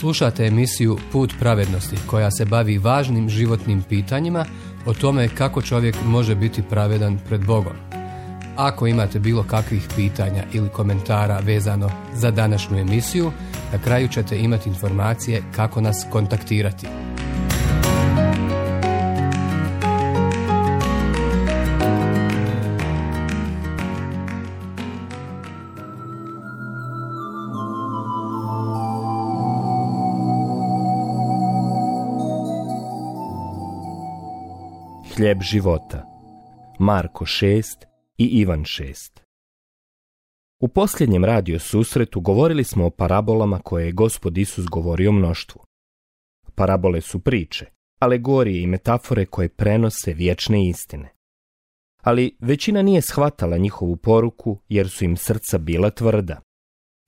Slušate emisiju Put pravednosti koja se bavi važnim životnim pitanjima o tome kako čovjek može biti pravedan pred Bogom. Ako imate bilo kakvih pitanja ili komentara vezano za današnju emisiju, na kraju ćete imati informacije kako nas kontaktirati. Hljeb života. Marko 6 i Ivan 6. U posljednjem radio susretu govorili smo o parabolama koje je Gospod Isus govorio mnoštvu. Parabole su priče, alegorije i metafore koje prenose vječne istine. Ali većina nije shvatala njihovu poruku jer su im srca bila tvrda.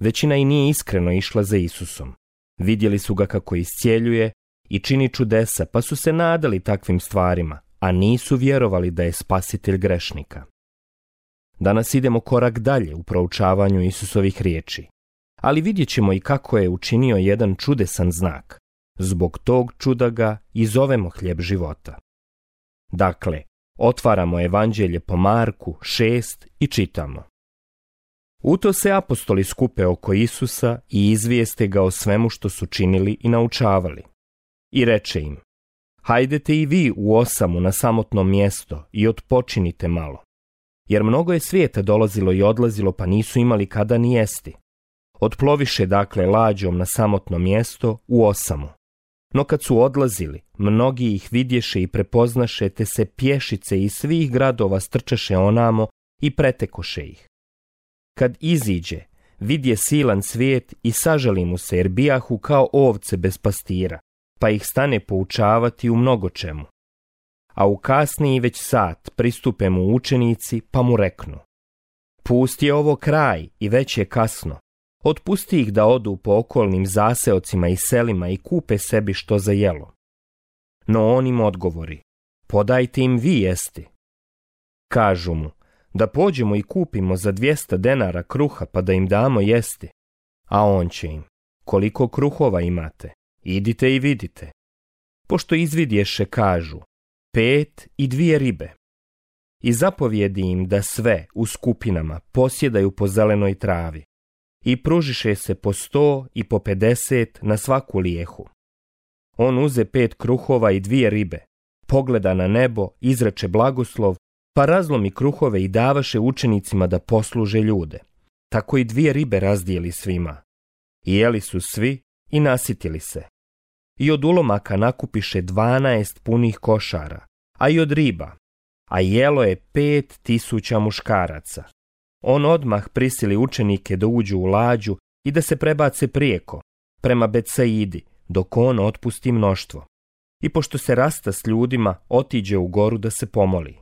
Većina i nije iskreno išla za Isusom. Vidjeli su ga kako iscijeljuje i čini čudesa, pa su se nadali takvim stvarima, a nisu vjerovali da je spasitelj grešnika. Danas idemo korak dalje u proučavanju Isusovih riječi, ali vidjet ćemo i kako je učinio jedan čudesan znak. Zbog tog čuda ga i zovemo hljeb života. Dakle, otvaramo Evanđelje po Marku 6 i čitamo. U to se apostoli skupe oko Isusa i izvijeste ga o svemu što su činili i naučavali. I reče im: hajdete i vi u osamu na samotno mjesto i odpočinite malo. Jer mnogo je svijeta dolazilo i odlazilo, pa nisu imali kada ni jesti. Otploviše dakle lađom na samotno mjesto u osamu. No kad su odlazili, mnogi ih vidješe i prepoznaše, te se pješice iz svih gradova strčaše onamo i pretekoše ih. Kad iziđe, vidje silan svijet i sažali mu se, jer bijahu kao ovce bez pastira, pa ih stane poučavati u mnogo čemu. A u kasniji već sat pristupe mu učenici, pa mu reknu: pusti je ovo kraj i već je kasno. Otpusti ih da odu po okolnim zaseocima i selima i kupe sebi što za jelo. No on im odgovori: podajte im vi jesti. Kažu mu: da pođemo i kupimo za 200 denara kruha pa da im damo jesti. A on će im: koliko kruhova imate? Idite i vidite. Pošto izvidješe, kažu: 5 i 2 ribe. I zapovjedi im da sve u skupinama posjedaju po zelenoj travi. I pružiše se po 100 i po 50 na svaku lijehu. On uze 5 kruhova i 2 ribe, pogleda na nebo, izreče blagoslov, pa razlomi kruhove i davaše učenicima da posluže ljude. Tako i 2 ribe razdijeli svima. I jeli su svi i nasitili se. I od ulomaka nakupiše 12 punih košara, a i od riba, a jelo je 5.000 muškaraca. On odmah prisili učenike da uđu u lađu i da se prebace prijeko, prema Betsaidi, dok on otpusti mnoštvo. I pošto se rasta s ljudima, otiđe u goru da se pomoli.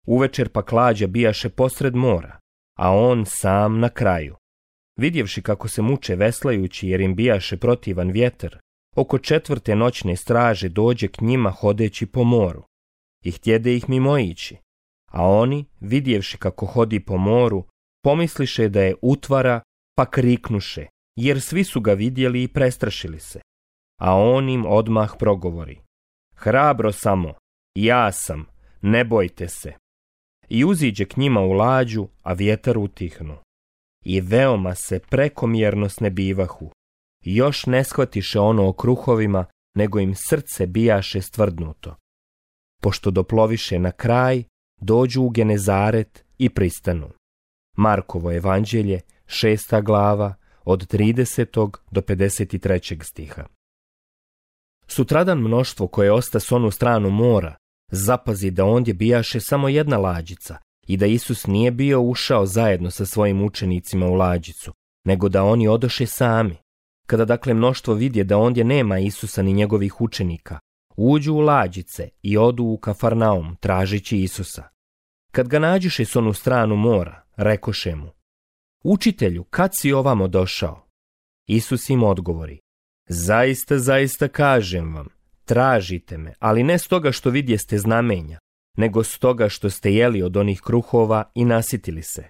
Uvečer pak lađa bijaše posred mora, a on sam na kraju. Vidjevši kako se muče veslajući jer im bijaše protivan vjetar, oko 4. noćne straže dođe k njima hodeći po moru i htjede ih mimoići, a oni, vidjevši kako hodi po moru, pomisliše da je utvara, pa kriknuše, jer svi su ga vidjeli i prestrašili se. A on im odmah progovori: hrabro samo, ja sam, ne bojte se. I uziđe k njima u lađu, a vjetar utihnu. I veoma se prekomjerno snebivahu. Još ne shvatiše ono o kruhovima, nego im srce bijaše stvrdnuto. Pošto doploviše na kraj, dođu u Genezaret i pristanu. Markovo Evanđelje, 6. glava, od 30. do 53. stiha. Sutradan mnoštvo koje osta s onu stranu mora zapazi da ondje bijaše samo jedna lađica i da Isus nije bio ušao zajedno sa svojim učenicima u lađicu, nego da oni odoše sami. Kada dakle mnoštvo vidje da ondje nema Isusa ni njegovih učenika, uđu u lađice i odu u Kafarnaum tražići Isusa. Kad ga nađuše s onu stranu mora, rekoše mu: učitelju, kad si ovamo došao? Isus im odgovori: zaista, zaista kažem vam, tražite me, ali ne stoga što vidjeste znamenja, nego stoga što ste jeli od onih kruhova i nasitili se.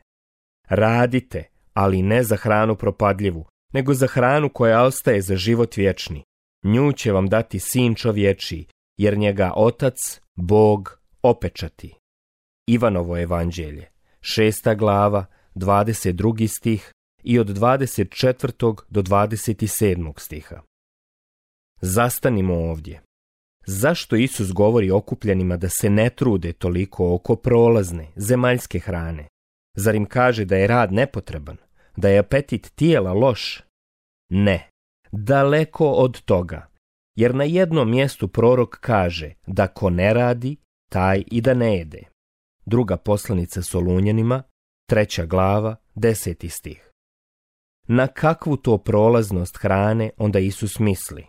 Radite, ali ne za hranu propadljivu, nego za hranu koja ostaje za život vječni. Nju će vam dati Sin čovječiji, jer njega Otac, Bog, opečati. Ivanovo evanđelje, 6. glava, 22. stih i od 24. do 27. stiha. Zastanimo ovdje. Zašto Isus govori okupljenima da se ne trude toliko oko prolazne, zemaljske hrane? Zar im kaže da je rad nepotreban? Da je apetit tijela loš? Ne, daleko od toga. Jer na jednom mjestu prorok kaže da ko ne radi, taj i da ne jede. Druga poslanica Solunjanima, 3. glava, 10. stih. Na kakvu to prolaznost hrane onda Isus misli?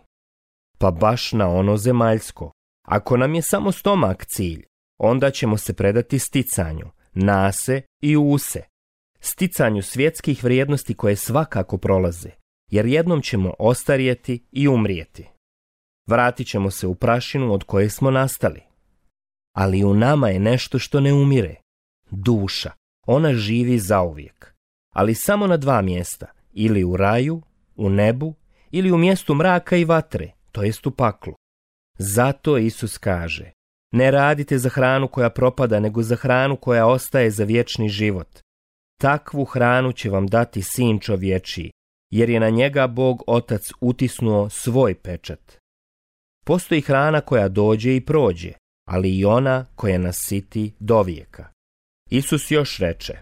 Pa baš na ono zemaljsko. Ako nam je samo stomak cilj, onda ćemo se predati sticanju, nase i use. Sticanju svjetskih vrijednosti koje svakako prolaze, jer jednom ćemo ostarjeti i umrijeti. Vratit ćemo se u prašinu od koje smo nastali. Ali u nama je nešto što ne umire. Duša. Ona živi zauvijek. Ali samo na 2 mjesta. Ili u raju, u nebu, ili u mjestu mraka i vatre, to jest u paklu. Zato Isus kaže, ne radite za hranu koja propada, nego za hranu koja ostaje za vječni život. Takvu hranu će vam dati Sin čovječiji, jer je na njega Bog Otac utisnuo svoj pečat. Postoji hrana koja dođe i prođe, ali i ona koja nas siti dovijeka. Isus još reče,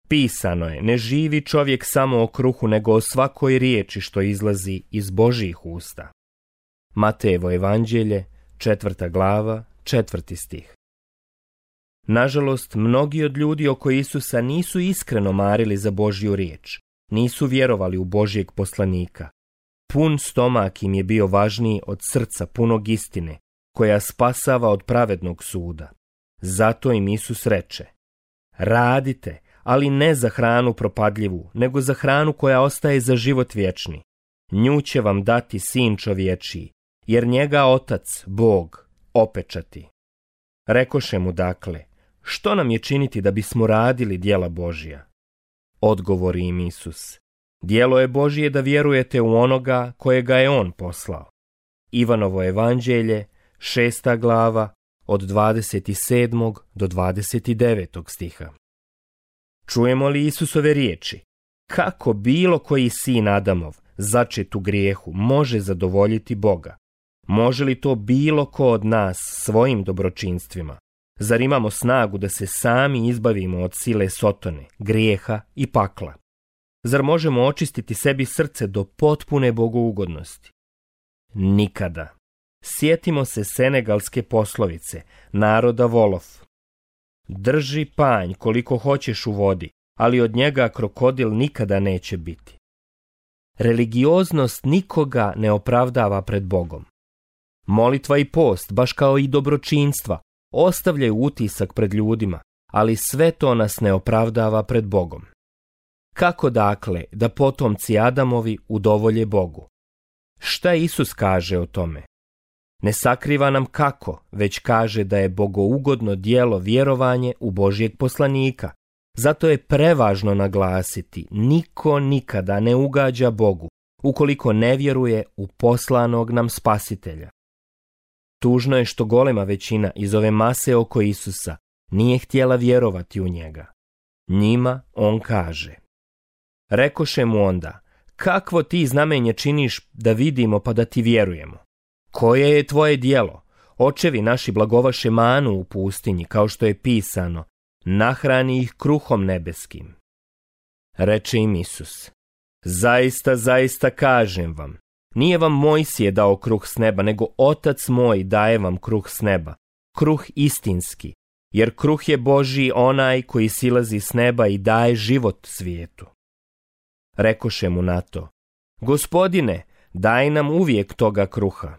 pisano je, ne živi čovjek samo o kruhu, nego o svakoj riječi što izlazi iz Božjih usta. Matejevo evanđelje, 4. glava, 4. stih. Nažalost, mnogi od ljudi oko Isusa nisu iskreno marili za Božju riječ, nisu vjerovali u Božjeg poslanika. Pun stomak im je bio važniji od srca punog istine, koja spasava od pravednog suda. Zato im Isus reče, radite, ali ne za hranu propadljivu, nego za hranu koja ostaje za život vječni. Nju će vam dati Sin čovječiji, jer njega Otac, Bog, opečati. Rekoše mu dakle, što nam je činiti da bismo radili djela Božja? Odgovori im Isus, djelo je Božje da vjerujete u onoga kojega je On poslao. Ivanovo evanđelje, 6. glava, od 27. do 29. stiha. Čujemo li Isusove riječi? Kako bilo koji sin Adamov, začet u grijehu, može zadovoljiti Boga? Može li to bilo ko od nas svojim dobročinstvima? Zar imamo snagu da se sami izbavimo od sile Sotone, grijeha i pakla? Zar možemo očistiti sebi srce do potpune bogougodnosti? Nikada. Sjetimo se senegalske poslovice, naroda volov. Drži panj koliko hoćeš u vodi, ali od njega krokodil nikada neće biti. Religioznost nikoga ne opravdava pred Bogom. Molitva i post, baš kao i dobročinstva, ostavljaju utisak pred ljudima, ali sve to nas ne opravdava pred Bogom. Kako dakle da potomci Adamovi udovolje Bogu? Šta Isus kaže o tome? Ne sakriva nam kako, već kaže da je bogougodno djelo vjerovanje u Božjeg poslanika. Zato je prevažno naglasiti, niko nikada ne ugađa Bogu, ukoliko ne vjeruje u poslanog nam spasitelja. Tužno je što golema većina iz ove mase oko Isusa nije htjela vjerovati u njega. Njima on kaže, rekoše mu onda, kakvo ti znamenje činiš da vidimo pa da ti vjerujemo? Koje je tvoje djelo? Očevi naši blagovaše manu u pustinji, kao što je pisano, nahrani ih kruhom nebeskim. Reče im Isus, zaista, zaista kažem vam, nije vam Mojsije dao kruh s neba, nego Otac moj daje vam kruh s neba, kruh istinski, jer kruh je Božji onaj koji silazi s neba i daje život svijetu. Rekoše mu na to, Gospodine, daj nam uvijek toga kruha.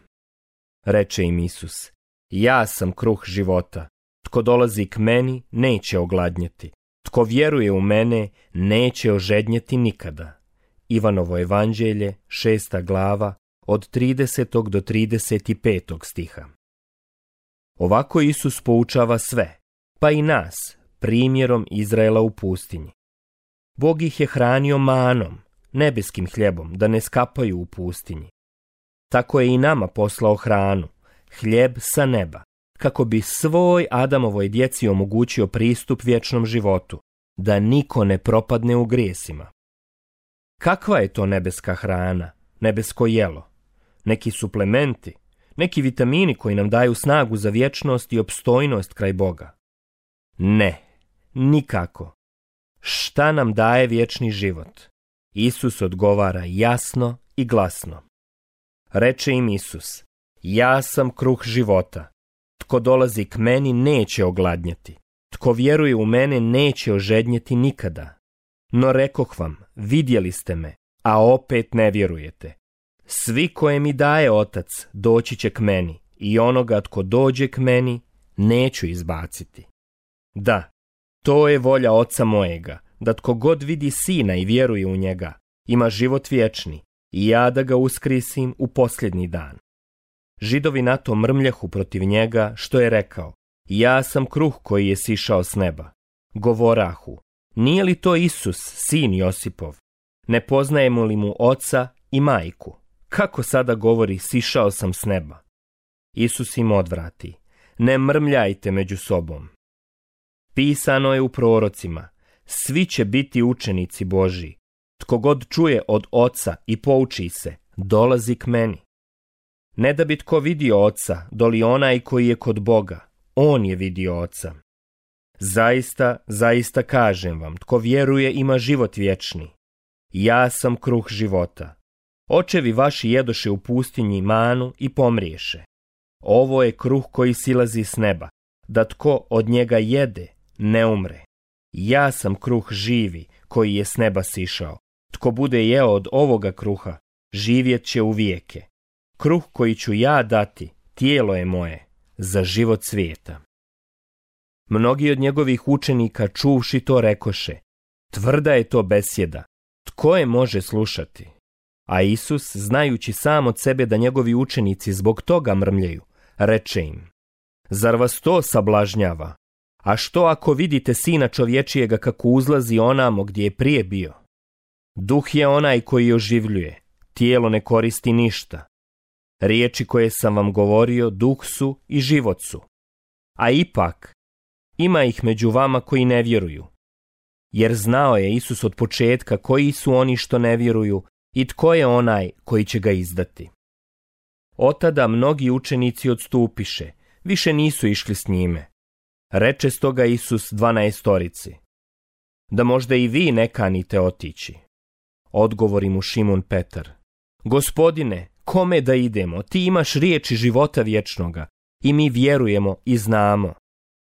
Reče im Isus, ja sam kruh života, tko dolazi k meni neće ogladnjeti, tko vjeruje u mene neće ožednjeti nikada. Ivanovo evanđelje, 6. glava, od 30. do 35. stiha. Ovako Isus poučava sve, pa i nas, primjerom Izraela u pustinji. Bog ih je hranio manom, nebeskim hljebom, da ne skapaju u pustinji. Tako je i nama poslao hranu, hljeb sa neba, kako bi svoj Adamovoj djeci omogućio pristup vječnom životu, da niko ne propadne u grijesima. Kakva je to nebeska hrana, nebesko jelo? Neki suplementi, neki vitamini koji nam daju snagu za vječnost i opstojnost kraj Boga? Ne, nikako. Šta nam daje vječni život? Isus odgovara jasno i glasno. Reče im Isus: ja sam kruh života. Tko dolazi k meni neće ogladnjeti. Tko vjeruje u mene neće ožednjeti nikada. No rekoh vam, vidjeli ste me, a opet ne vjerujete. Svi koje mi daje Otac doći će k meni, i onoga tko dođe k meni neću izbaciti. Da, to je volja Oca mojega, da tko god vidi Sina i vjeruje u njega, ima život vječni, i ja da ga uskrisim u posljednji dan. Židovi na to mrmljahu protiv njega, što je rekao: ja sam kruh koji je sišao s neba. Govorahu: nije li to Isus, sin Josipov? Ne poznajemo li mu oca i majku? Kako sada govori: sišao sam s neba? Isus im odvrati: ne mrmljajte među sobom. Pisano je u prorocima: svi će biti učenici Božji. Tko god čuje od Oca i pouči se, dolazi k meni. Ne da bi tko vidio Oca, doli onaj koji je kod Boga, on je vidio Oca. Zaista, zaista kažem vam, tko vjeruje ima život vječni. Ja sam kruh života. Očevi vaši jedoše u pustinji manu i pomriješe. Ovo je kruh koji silazi s neba, da tko od njega jede, ne umre. Ja sam kruh živi koji je s neba sišao. Tko bude jeo od ovoga kruha, živjet će u vijeke. Kruh koji ću ja dati, tijelo je moje, za život svijeta. Mnogi od njegovih učenika čuvši to rekoše: tvrda je to besjeda, tko je može slušati? A Isus, znajući sam od sebe da njegovi učenici zbog toga mrmljaju, reče im: zar vas to sablažnjava? A što ako vidite Sina čovječijega kako uzlazi onamo gdje je prije bio? Duh je onaj koji oživljuje, tijelo ne koristi ništa. Riječi koje sam vam govorio duh su i život su. A ipak, ima ih među vama koji ne vjeruju. Jer znao je Isus od početka koji su oni što ne vjeruju i tko je onaj koji će ga izdati. Otada mnogi učenici odstupiše, više nisu išli s njime. Reče stoga Isus 12-torici: da možda i vi ne kanite otići. Odgovori mu Šimun Petar: Gospodine, kome da idemo? Ti imaš riječi života vječnoga i mi vjerujemo i znamo.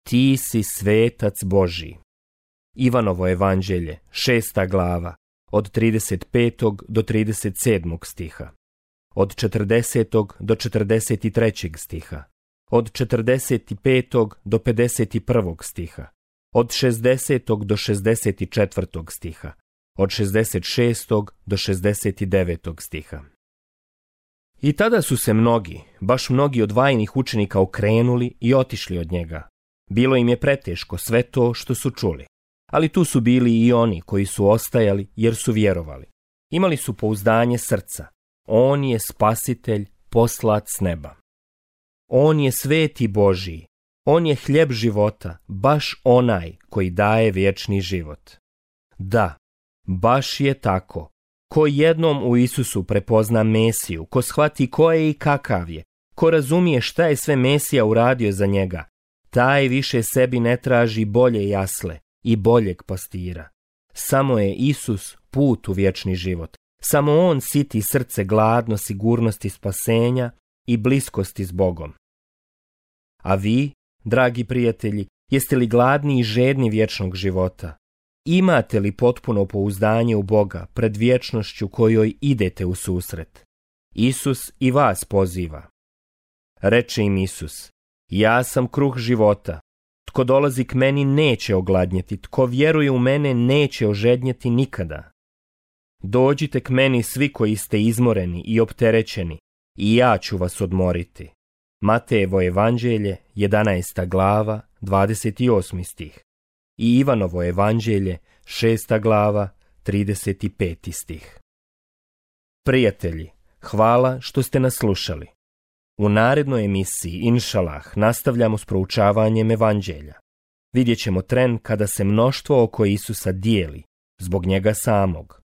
Ti si svetac Božji. Ivanovo evanđelje, 6. glava, od 35. do 37. stiha, od 40. do 43. stiha, od 45. do 51. stiha, od 60. do 64. stiha, od 66. do 69. stiha. I tada su se mnogi, baš mnogi od vajnih učenika okrenuli i otišli od njega. Bilo im je preteško sve to što su čuli, ali tu su bili i oni koji su ostajali jer su vjerovali. Imali su pouzdanje srca. On je spasitelj poslat s neba. On je sveti Božji. On je hljeb života, baš onaj koji daje vječni život. Da, baš je tako. Ko jednom u Isusu prepozna Mesiju, ko shvati ko je i kakav je, ko razumije šta je sve Mesija uradio za njega, taj više sebi ne traži bolje jasle i boljeg pastira. Samo je Isus put u vječni život. Samo on siti srce gladno sigurnosti spasenja i bliskosti s Bogom. A vi, dragi prijatelji, jeste li gladni i žedni vječnog života? Imate li potpuno pouzdanje u Boga pred vječnošću kojoj idete u susret? Isus i vas poziva. Reče im Isus: ja sam kruh života. Tko dolazi k meni neće ogladnjeti, tko vjeruje u mene neće ožednjeti nikada. Dođite k meni svi koji ste izmoreni i opterećeni, i ja ću vas odmoriti. Matejevo evanđelje, 11. glava, 28. stih. I Ivanovo evanđelje, 6. glava, 35. stih. Prijatelji, hvala što ste nas slušali. U narednoj emisiji, inšalah, nastavljamo s proučavanjem evanđelja. Vidjet ćemo tren kada se mnoštvo oko Isusa dijeli, zbog njega samog.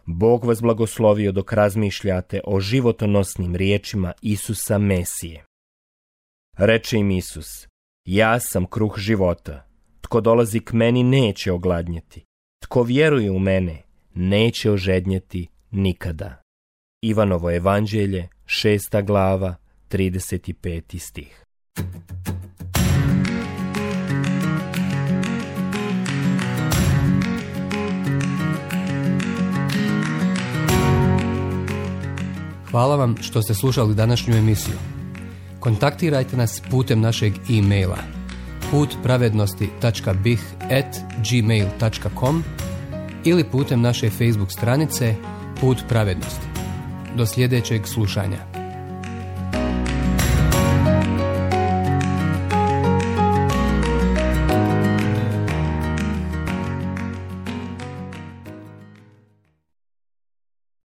Bog vas blagoslovio dok razmišljate o životonosnim riječima Isusa Mesije. Reče im Isus, ja sam kruh života. Tko dolazi k meni neće ogladnjeti. Tko vjeruje u mene neće ožednjeti nikada. Ivanovo evanđelje, 6. glava, 35. stih. Hvala vam što ste slušali današnju emisiju. Kontaktirajte nas putem našeg e-maila putpravednosti.bih@gmail.com ili putem naše Facebook stranice Put pravednosti. Do sljedećeg slušanja.